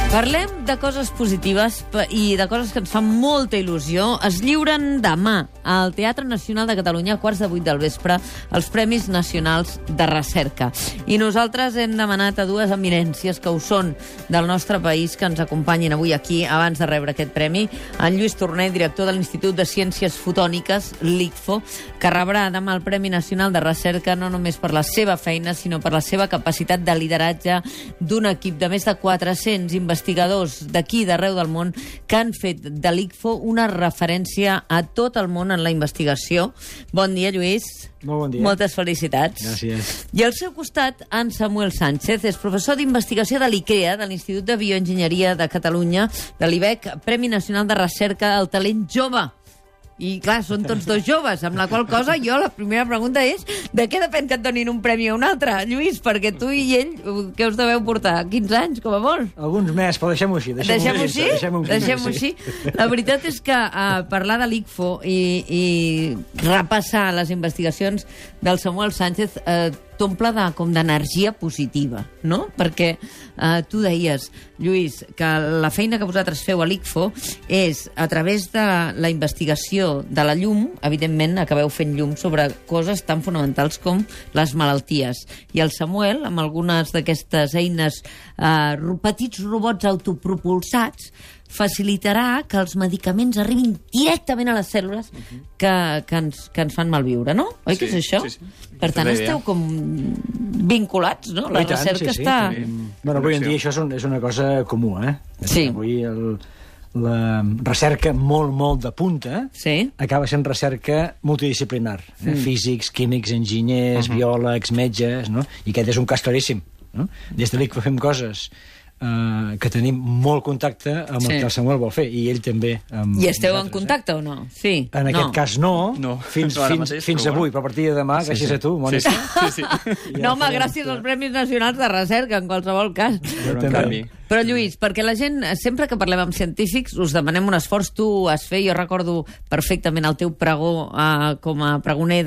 Parlem de coses positives i de coses que ens fan molta il·lusió. Es lliuren demà al Teatre Nacional de Catalunya a 7:15 del vespre els Premis Nacionals de Recerca. I nosaltres hem demanat a dues eminències que ho són del nostre país que ens acompanyin avui aquí abans de rebre aquest premi. En Lluís Torné, director de l'Institut de Ciències Fotòniques, l'ICFO, que rebrà demà el Premi Nacional de Recerca no només per la seva feina, sinó per la seva capacitat de lideratge d'un equip de més de 400 investigadors d'aquí d'arreu del món que han fet de l'ICFO una referència a tot el món en la investigació. Bon dia, Lluís. Molt bon dia. Moltes felicitats. Gràcies. I al seu costat, en Samuel Sánchez, és professor d'investigació de l'ICREA, de l'Institut de Bioenginyeria de Catalunya, de l'IBEC, Premi Nacional de Recerca al Talent Jove. I, clar, són tots dos joves, amb la qual cosa jo la primera pregunta és de què depèn que et donin un premi o un altre, Lluís? Perquè tu i ell, què us deveu portar? 15 anys, com a molt? Alguns més, però deixem-ho així. Deixem-ho així? La veritat és que parlar de l'ICFO i repassar les investigacions del Samuel Sánchez t'omple com d'energia positiva, no? Perquè tu deies, Lluís, que la feina que vosaltres feu a l'ICFO és, a través de la investigació de la llum, evidentment acabeu fent llum sobre coses tan fonamentals com les malalties. I el Samuel, amb algunes d'aquestes eines, petits robots autopropulsats, facilitarà que els medicaments arribin directament a les cèl·lules que ens fan malviure, no? Oi que és això? Sí. Per tant, esteu com vinculats, no? La recerca està... Bueno, avui en dia això és una cosa comú, eh? Sí. Avui la recerca molt de punta acaba sent recerca multidisciplinar. Físics, químics, enginyers, biòlegs, metges, no? I aquest és un cas claríssim, no? Des de l'ICFO fem coses que tenim molt contacte amb el que el Samuel vol fer, i ell també. I esteu en contacte o no? Sí. En aquest cas no, fins avui, però a partir de demà, gràcies a tu, Mònica. No, home, gràcies als Premis Nacionals de Recerca, en qualsevol cas. Però, Lluís, perquè la gent, sempre que parlem amb científics, us demanem un esforç, tu has fet, jo recordo perfectament el teu pregó com a pregoner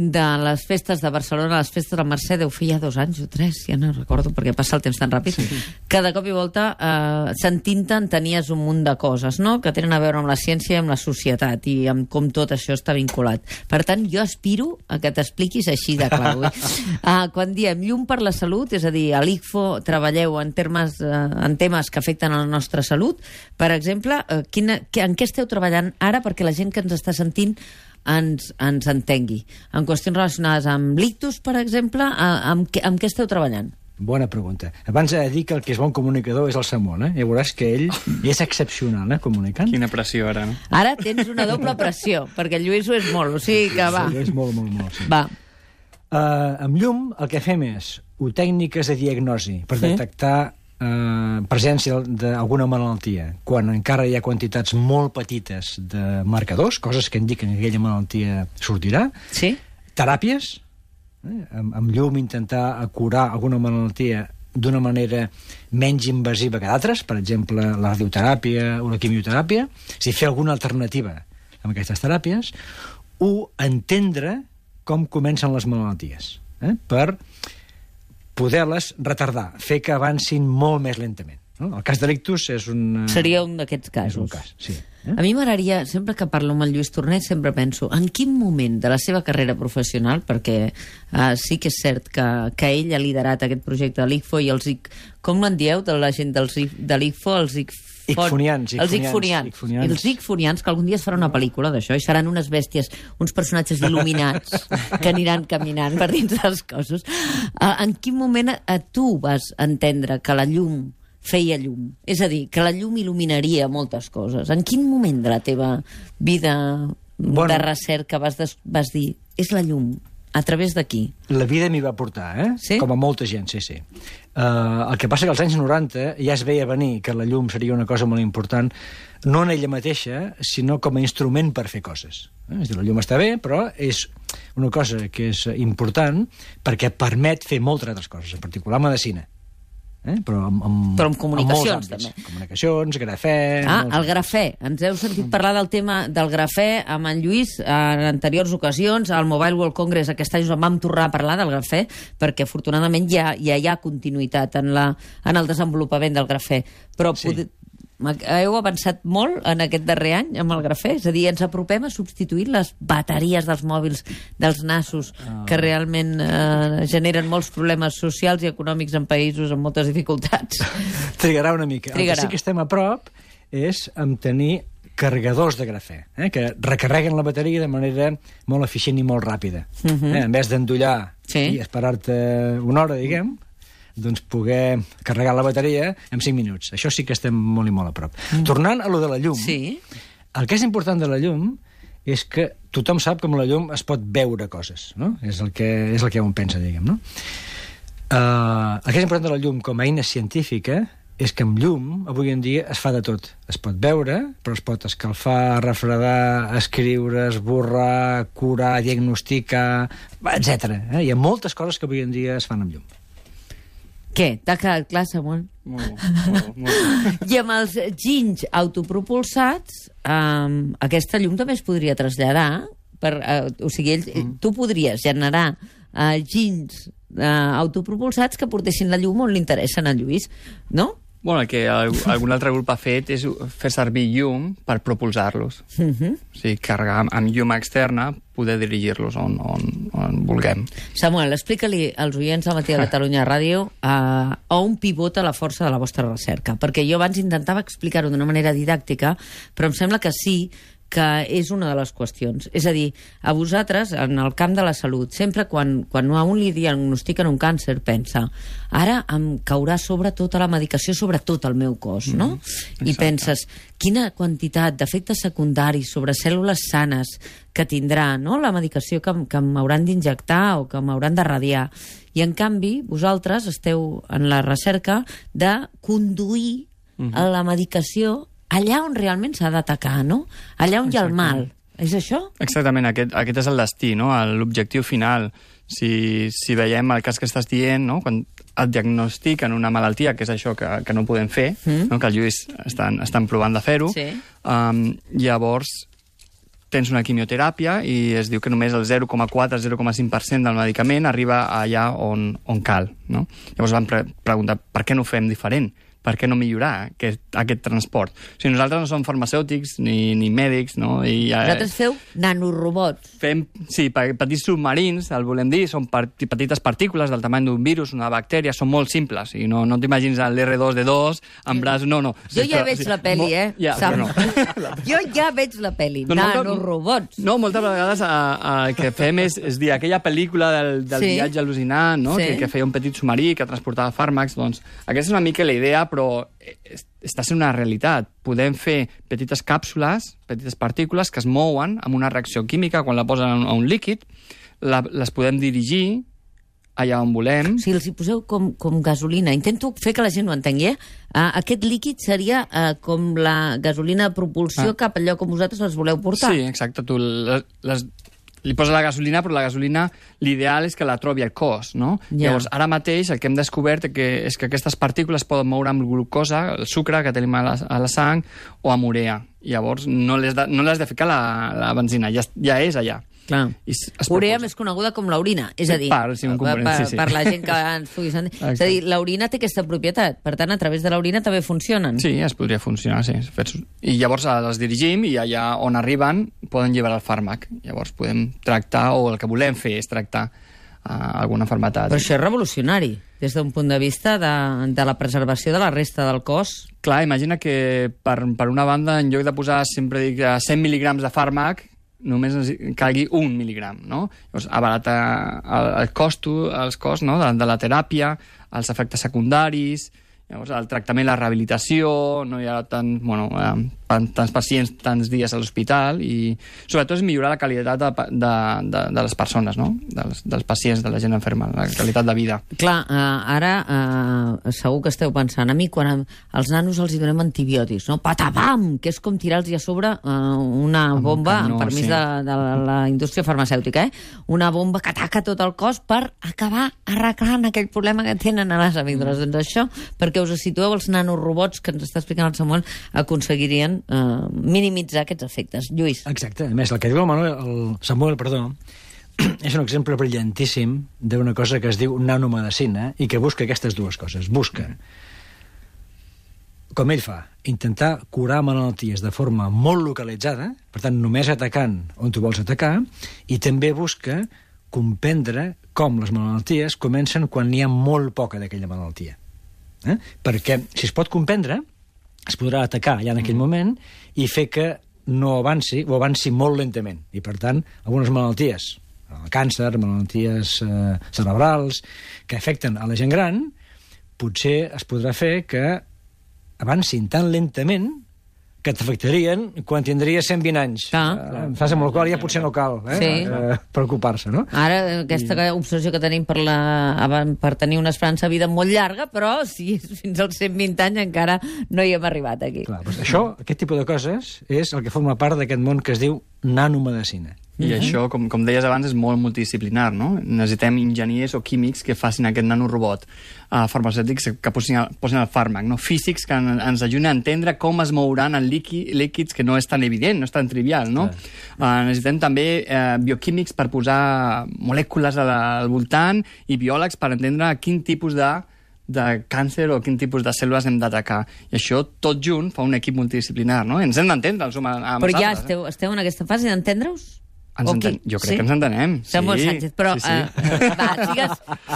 de les festes de Barcelona, les festes de la Mercè, deu fer ja 2 anys o 3, ja no recordo perquè passa el temps tan ràpid, que de cop i volta sentint-te tenies un munt de coses, no?, que tenen a veure amb la ciència i amb la societat i amb com tot això està vinculat. Per tant, jo aspiro a que t'expliquis així de clar. Quan diem llum per la salut, és a dir, a l'ICFO treballeu en temes que afecten a la nostra salut, per exemple, en què esteu treballant ara perquè la gent que ens està sentint ens entengui? En qüestions relacionades amb l'ictus, per exemple, amb què esteu treballant? Bona pregunta. Abans he de dir que el que és bon comunicador és el Samuel, Ja veuràs que ell és excepcional, comunicant. Quina pressió, ara, no? Ara tens una doble pressió, perquè el Lluís ho és molt, o sigui que va. Sí, és molt, sí. Va. Amb llum el que fem és tècniques de diagnosi per detectar presència d'alguna malaltia, quan encara hi ha quantitats molt petites de marcadors, coses que indiquen que aquella malaltia sortirà. Sí. Teràpies, amb llum intentar curar alguna malaltia d'una manera menys invasiva que d'altres, per exemple, la radioteràpia o la quimioteràpia, fer alguna alternativa amb aquestes teràpies, o entendre com comencen les malalties, per poder-les retardar, fer que avancin molt més lentament. El cas de l'ictus és un... Seria un d'aquests casos. És un cas, sí. A mi m'agradaria, sempre que parlo amb el Lluís Torné, sempre penso, en quin moment de la seva carrera professional, perquè sí que és cert que ell ha liderat aquest projecte de l'ICFO i els com en dieu de la gent de l'ICFO, els icfonians, que algun dia es farà una pel·lícula d'això i seran unes bèsties, uns personatges il·luminats que aniran caminant per dins dels cossos. En quin moment tu vas entendre que la llum feia llum? És a dir, que la llum il·luminaria moltes coses. En quin moment de la teva vida de recerca vas dir, és la llum? A través d'aquí? La vida m'hi va portar, Sí? Com a molta gent, sí. El que passa que als anys 90 ja es veia venir que la llum seria una cosa molt important, no en ella mateixa, sinó com a instrument per fer coses. És a dir, la llum està bé, però és una cosa que és important perquè permet fer moltes altres coses, en particular medicina. però amb comunicacions, també. Comunicacions, grafè... El grafè. Ens heu sentit parlar del tema del grafè amb en Lluís en anteriors ocasions. Al Mobile World Congress aquest any vam tornar a parlar del grafè, perquè afortunadament ja hi ha continuïtat en el desenvolupament del grafè. Però heu avançat molt en aquest darrer any amb el grafè? És a dir, ens apropem a substituir les bateries dels mòbils, dels nassos, que realment generen molts problemes socials i econòmics en països amb moltes dificultats. Trigarà una mica. El que sí que estem a prop és en tenir carregadors de grafè, que recarreguen la bateria de manera molt eficient i molt ràpida. En vez d'endollar i esperar-te una hora, diguem, doncs poder carregar la bateria en 5 minuts. Això sí que estem molt i molt a prop. Tornant a lo de la llum, el que és important de la llum és que tothom sap que amb la llum es pot veure coses, no? És el que un pensa, diguem, no? El que és important de la llum com a eina científica és que amb llum, avui en dia, es fa de tot. Es pot veure, però es pot escalfar, refredar, escriure, esborrar, curar, diagnosticar, etc. Hi ha moltes coses que avui en dia es fan amb llum. Què? T'ha quedat clar, Samuel? Molt. I amb els ginys autopropulsats, aquesta llum també es podria traslladar. O sigui, tu podries generar ginys autopropulsats que portessin la llum on li interessen a Lluís, no? Bueno, el que algun altre grup ha fet és fer servir llum per propulsar-los. O sigui, carregar amb llum externa, poder dirigir-los on vulguem. Samuel, explica-li als oients de Matí de Catalunya Ràdio on pivota la força de la vostra recerca, perquè jo abans intentava explicar-ho d'una manera didàctica, però em sembla que sí que és una de les qüestions. És a dir, a vosaltres, en el camp de la salut, sempre quan a un li diagnostiquen un càncer, pensa, ara em caurà sobre tota la medicació sobre tot el meu cos, no? I penses, quina quantitat d'efectes secundaris sobre cèl·lules sanes que tindrà, no?, la medicació que m'hauran d'injectar o que m'hauran de radiar. I, en canvi, vosaltres esteu en la recerca de conduir la medicació allà on realment s'ha d'atacar, no? Allà on hi ha el mal. És això? Exactament, aquest és el destí, no? L'objectiu final. Si veiem el cas que estàs dient, no? Quan et diagnostiquen una malaltia, que és això que no podem fer, no? Que el Lluís estan provant de fer-ho, llavors tens una quimioteràpia i es diu que només el 0,4-0,5% del medicament arriba allà on cal, no? Llavors vam preguntar per què no ho fem diferent? Per què no millorar aquest transport? O sigui, nosaltres no som farmacèutics ni mèdics, no? Vosaltres feu nanorobots. Fem, petits submarins, el volem dir, són petites partícules del tamany d'un virus, una bactèria, són molt simples, i no t'imagines l'R2D2 amb braç... No. Jo ja veig la pel·li, Jo ja veig la pel·li, nanorobots. No, moltes vegades el que fem és dir, aquella pel·lícula del viatge al·lucinant, no? Que feia un petit submarí que transportava fàrmacs, doncs aquesta és una mica la idea, però està sent una realitat. Podem fer petites càpsules, petites partícules que es mouen amb una reacció química quan la posen a un líquid, les podem dirigir allà on volem. Si els hi poseu com gasolina, intento fer que la gent ho entengui, aquest líquid seria com la gasolina de propulsió cap allò com vosaltres les voleu portar. Sí, exacte. Tu li posa la gasolina, però la gasolina l'ideal és que la trobi al cos, no? Llavors, ara mateix el que hem descobert és que aquestes partícules poden moure amb glucosa, el sucre que tenim a la sang, o amb urea. Llavors, no les de ficar la benzina, ja és allà. Clar. Urea més coneguda com l'orina, és a dir, per la gent que ens pugui sentir. És a dir, l'orina té aquesta propietat, per tant, a través de l'orina també funcionen. Sí, es podria funcionar, sí. I llavors les dirigim i allà on arriben poden llevar el fàrmac. Llavors podem tractar, o el que volem fer és tractar alguna malaltia. Però això és revolucionari, des d'un punt de vista de la preservació de la resta del cos. Clar, imagina que per una banda, en lloc de posar, sempre dic, 100 mil·lígrams de fàrmac, només calgui 1 mil·lígram, no? Llavors, abarata els costs, no? de la teràpia, els efectes secundaris, llavors el tractament, la rehabilitació, no hi ha tant... tants pacients, tants dies a l'hospital, i sobretot és millorar la qualitat de les persones, no? Dels pacients, de la gent enferma, la qualitat de vida. Clar, ara segur que esteu pensant, a mi quan als nanos els hi donem antibiòtics, no? Patapam! Que és com tirar-los a sobre una bomba, amb permís de la indústria farmacèutica, una bomba que ataca tot el cos per acabar arreglant aquell problema que tenen a les amígdales. Doncs això, perquè us situeu, els nanorobots que ens està explicant el Samuel aconseguirien minimitzar aquests efectes. Lluís. Exacte. A més, el que diu el Samuel, és un exemple brillantíssim d'una cosa que es diu nanomedicina i que busca aquestes dues coses. Busca, com ell fa, intentar curar malalties de forma molt localitzada, per tant, només atacant on tu vols atacar, i també busca comprendre com les malalties comencen quan n'hi ha molt poca d'aquella malaltia. Perquè, si es pot comprendre, es podrà atacar ja en aquell moment i fer que no avanci o avanci molt lentament. I, per tant, algunes malalties, el càncer, malalties cerebrals, que afecten a la gent gran, potser es podrà fer que avancin tan lentament que t'afectarien quan tindries 120 anys. Fase amb la qual ja potser no cal preocupar-se, no? Ara, aquesta obsessió que tenim per tenir una esperança de vida molt llarga, però si fins als 120 anys encara no hi hem arribat aquí. Clar, doncs això, aquest tipus de coses, és el que forma part d'aquest món que es diu nanomedicina. I això, com deies abans, és molt multidisciplinar, no? Necessitem enginyers o químics que facin aquest nanorobot, farmacèutics que posin el fàrmac, no? Físics que ens ajuden a entendre com es mouran en líquids que no és tan evident, no és tan trivial, no? Necessitem també bioquímics per posar molècules al voltant i biòlegs per entendre quin tipus de càncer o quin tipus de cèl·lules hem d'atacar. I això, tot junt, fa un equip multidisciplinar, no? Ens hem d'entendre els humans. Però ja esteu en aquesta fase d'entendre-us? Jo crec que ens entenem. Samuel Sánchez, però va,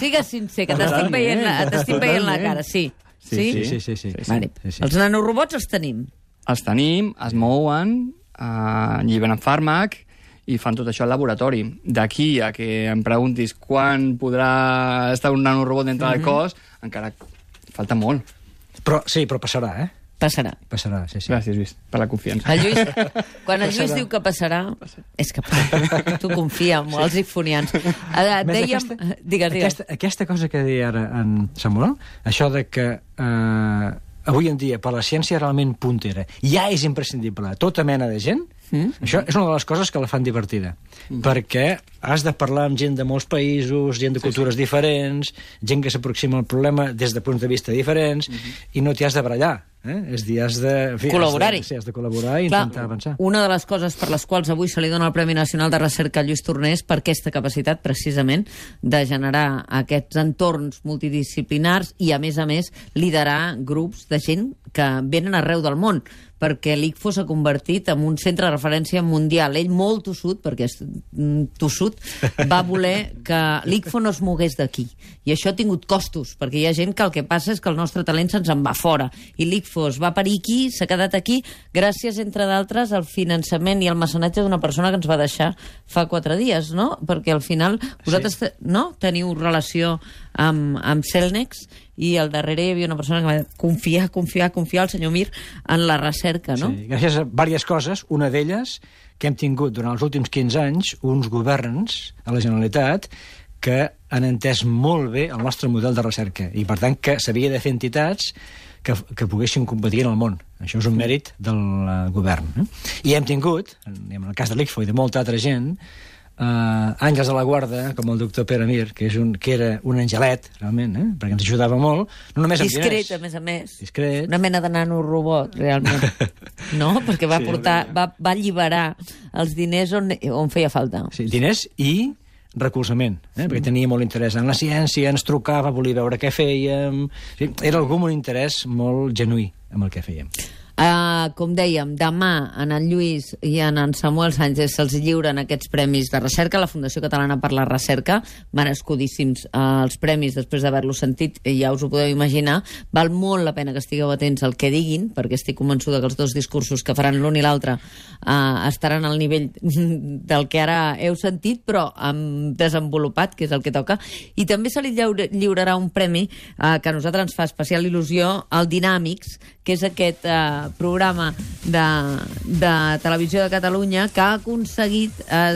sigues sincer, que t'estic veient la cara. Sí. Vale. Els nanorobots els tenim. Els tenim, es mouen, lliberen fàrmac i fan tot això al laboratori. D'aquí a que em preguntis quan podrà estar un nanorobot dintre del cos, encara falta molt. Però passarà, Passarà, sí. Gràcies, Lluís, per la confiança. Quan el Lluís diu que passarà, és que tu confia en els ifonians. Digues. Aquesta cosa que deia ara en Samuel, això de que avui en dia, per la ciència realment puntera, ja és imprescindible a tota mena de gent, això és una de les coses que la fan divertida, perquè has de parlar amb gent de molts països, gent de cultures diferents, gent que s'aproxima al problema des de punts de vista diferents, i no t'hi has de barallar. És dir, has de col·laborar-hi. Has de col·laborar i intentar avançar. Una de les coses per les quals avui se li dona el Premi Nacional de Recerca a Lluís Torner és per aquesta capacitat, precisament, de generar aquests entorns multidisciplinars i, a més, liderar grups de gent que venen arreu del món, perquè l'ICFO s'ha convertit en un centre de referència mundial. Ell, molt tossut, perquè és tossut, va voler que l'ICFO no es mogués d'aquí. I això ha tingut costos, perquè hi ha gent que el que passa és que el nostre talent se'ns en va fora. I l'ICFO es va parir aquí, s'ha quedat aquí, gràcies, entre d'altres, al finançament i al mecenatge d'una persona que ens va deixar fa 4 dies, no? Perquè al final vosaltres teniu relació amb Celnex, i al darrere hi havia una persona que va confiar el senyor Mir en la recerca, no? Sí, gràcies a diverses coses. Una d'elles, que hem tingut durant els últims 15 anys uns governs a la Generalitat que han entès molt bé el nostre model de recerca i, per tant, que s'havia de fer entitats que poguessin competir en el món. Això és un mèrit del govern. I hem tingut, en el cas de l'ICFO i de molta altra gent, àngels de la guarda, com el doctor Pere Mir, que era un angelet, realment, perquè ens ajudava molt, no només amb diners. Discret, a més. Discret. Una mena de nanorobot, realment. No? Perquè va alliberar els diners on feia falta. Sí, diners i recolzament, perquè tenia molt interès en la ciència, ens trucava, volia veure què fèiem. Era algú amb un interès molt genuí amb el que fèiem. Com dèiem, demà en Lluís i en Samuel Sánchez se'ls lliuren aquests premis de recerca. La Fundació Catalana per la Recerca, merescudíssims els premis després d'haver-los sentit, ja us ho podeu imaginar. Val molt la pena que estigueu atents al que diguin, perquè estic convençuda que els dos discursos que faran l'un i l'altre estaran al nivell del que ara heu sentit, però desenvolupat, que és el que toca. I també se li lliurarà un premi que a nosaltres ens fa especial il·lusió, el Dinàmics, que és aquest programa programa de Televisió de Catalunya que ha aconseguit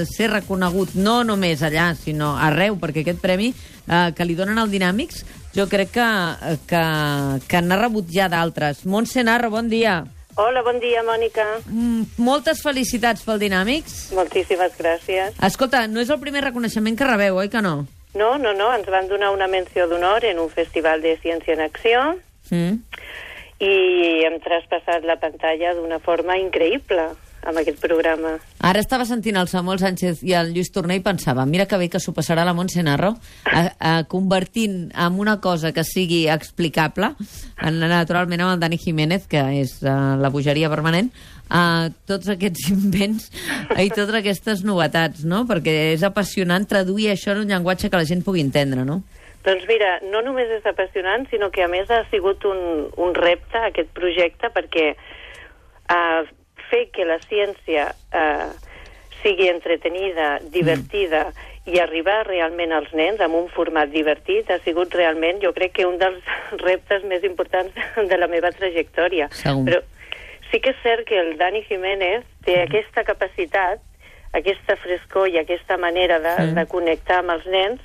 ser reconegut no només allà, sinó arreu, perquè aquest premi que li donen al Dinàmics jo crec que n'ha rebut ja d'altres. Montse Narro, bon dia. Hola, bon dia, Mònica. Moltes felicitats pel Dinàmics. Moltíssimes gràcies. Escolta, no és el primer reconeixement que rebeu, oi que no? No, ens van donar una menció d'honor en un festival de Ciència en Acció i hem traspassat la pantalla d'una forma increïble amb aquest programa. Ara estava sentint el Samuel Sánchez i el Lluís Torner i pensava, mira que bé que s'ho passarà la Montse Narro convertint en una cosa que sigui explicable, naturalment amb el Dani Jiménez, que és la bogeria permanent, tots aquests invents i totes aquestes novetats, no? Perquè és apassionant traduir això en un llenguatge que la gent pugui entendre, no? Doncs mira, no només és apassionant, sinó que a més ha sigut un repte aquest projecte, perquè fer que la ciència sigui entretenida, divertida i arribar realment als nens amb un format divertit ha sigut realment, jo crec que un dels reptes més importants de la meva trajectòria. Segur. Però sí que és cert que el Dani Jiménez té aquesta capacitat, aquesta frescor i aquesta manera de connectar amb els nens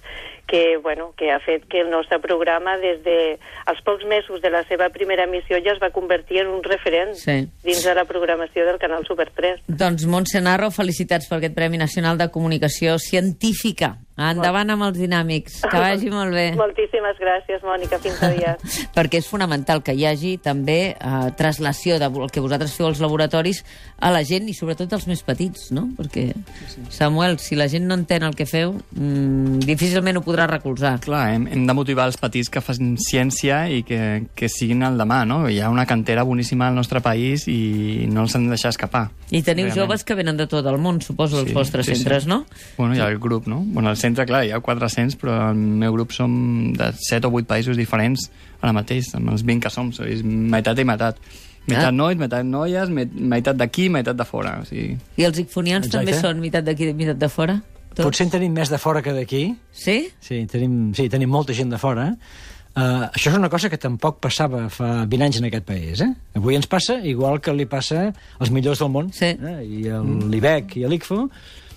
que ha fet que el nostre programa des dels pocs mesos de la seva primera emissió ja es va convertir en un referent dins de la programació del canal Super 3. Doncs Montse Narro, felicitats per aquest Premi Nacional de Comunicació Científica. Endavant amb els Dinàmics, que vagi molt bé. Moltíssimes gràcies, Mònica, fins aviat. Perquè és fonamental que hi hagi també traslació del que vosaltres feu als laboratoris a la gent i sobretot als més petits, no? Perquè, Samuel, si la gent no entén el que feu, difícilment ho podrà recolzar. Clar, hem de motivar els petits que facin ciència i que siguin el demà, no? Hi ha una cantera boníssima al nostre país i no els hem de deixar escapar. I teniu joves que venen de tot el món, suposo, als vostres centres, no? Bueno, hi ha el grup, no? Bueno, al centre, clar, hi ha 400, però al meu grup som de 7 o 8 països diferents ara mateix, amb els 20 que som, és meitat i meitat. Meitat nois, meitat noies, meitat d'aquí, meitat de fora. O sigui... I els icfonians també són meitat d'aquí i meitat de fora? Tots? Potser en tenim més de fora que d'aquí. Sí? Sí, tenim molta gent de fora. Això és una cosa que tampoc passava fa 20 anys en aquest país. Avui ens passa igual que li passa als millors del món. Sí. I l'IBEC i l'ICFO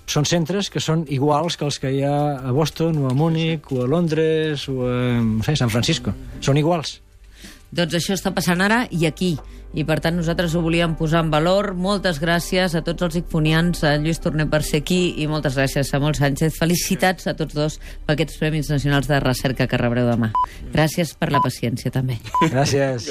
són centres que són iguals que els que hi ha a Boston o a Múnich o a Londres o a San Francisco. Són iguals. Doncs això està passant ara i aquí. I per tant nosaltres ho volíem posar en valor. Moltes gràcies a tots els icfonians, a Lluís Torner per ser aquí i moltes gràcies a Samuel Sánchez. Felicitats a tots dos per aquests Premis Nacionals de Recerca que rebreu demà. Gràcies per la paciència també. Gràcies.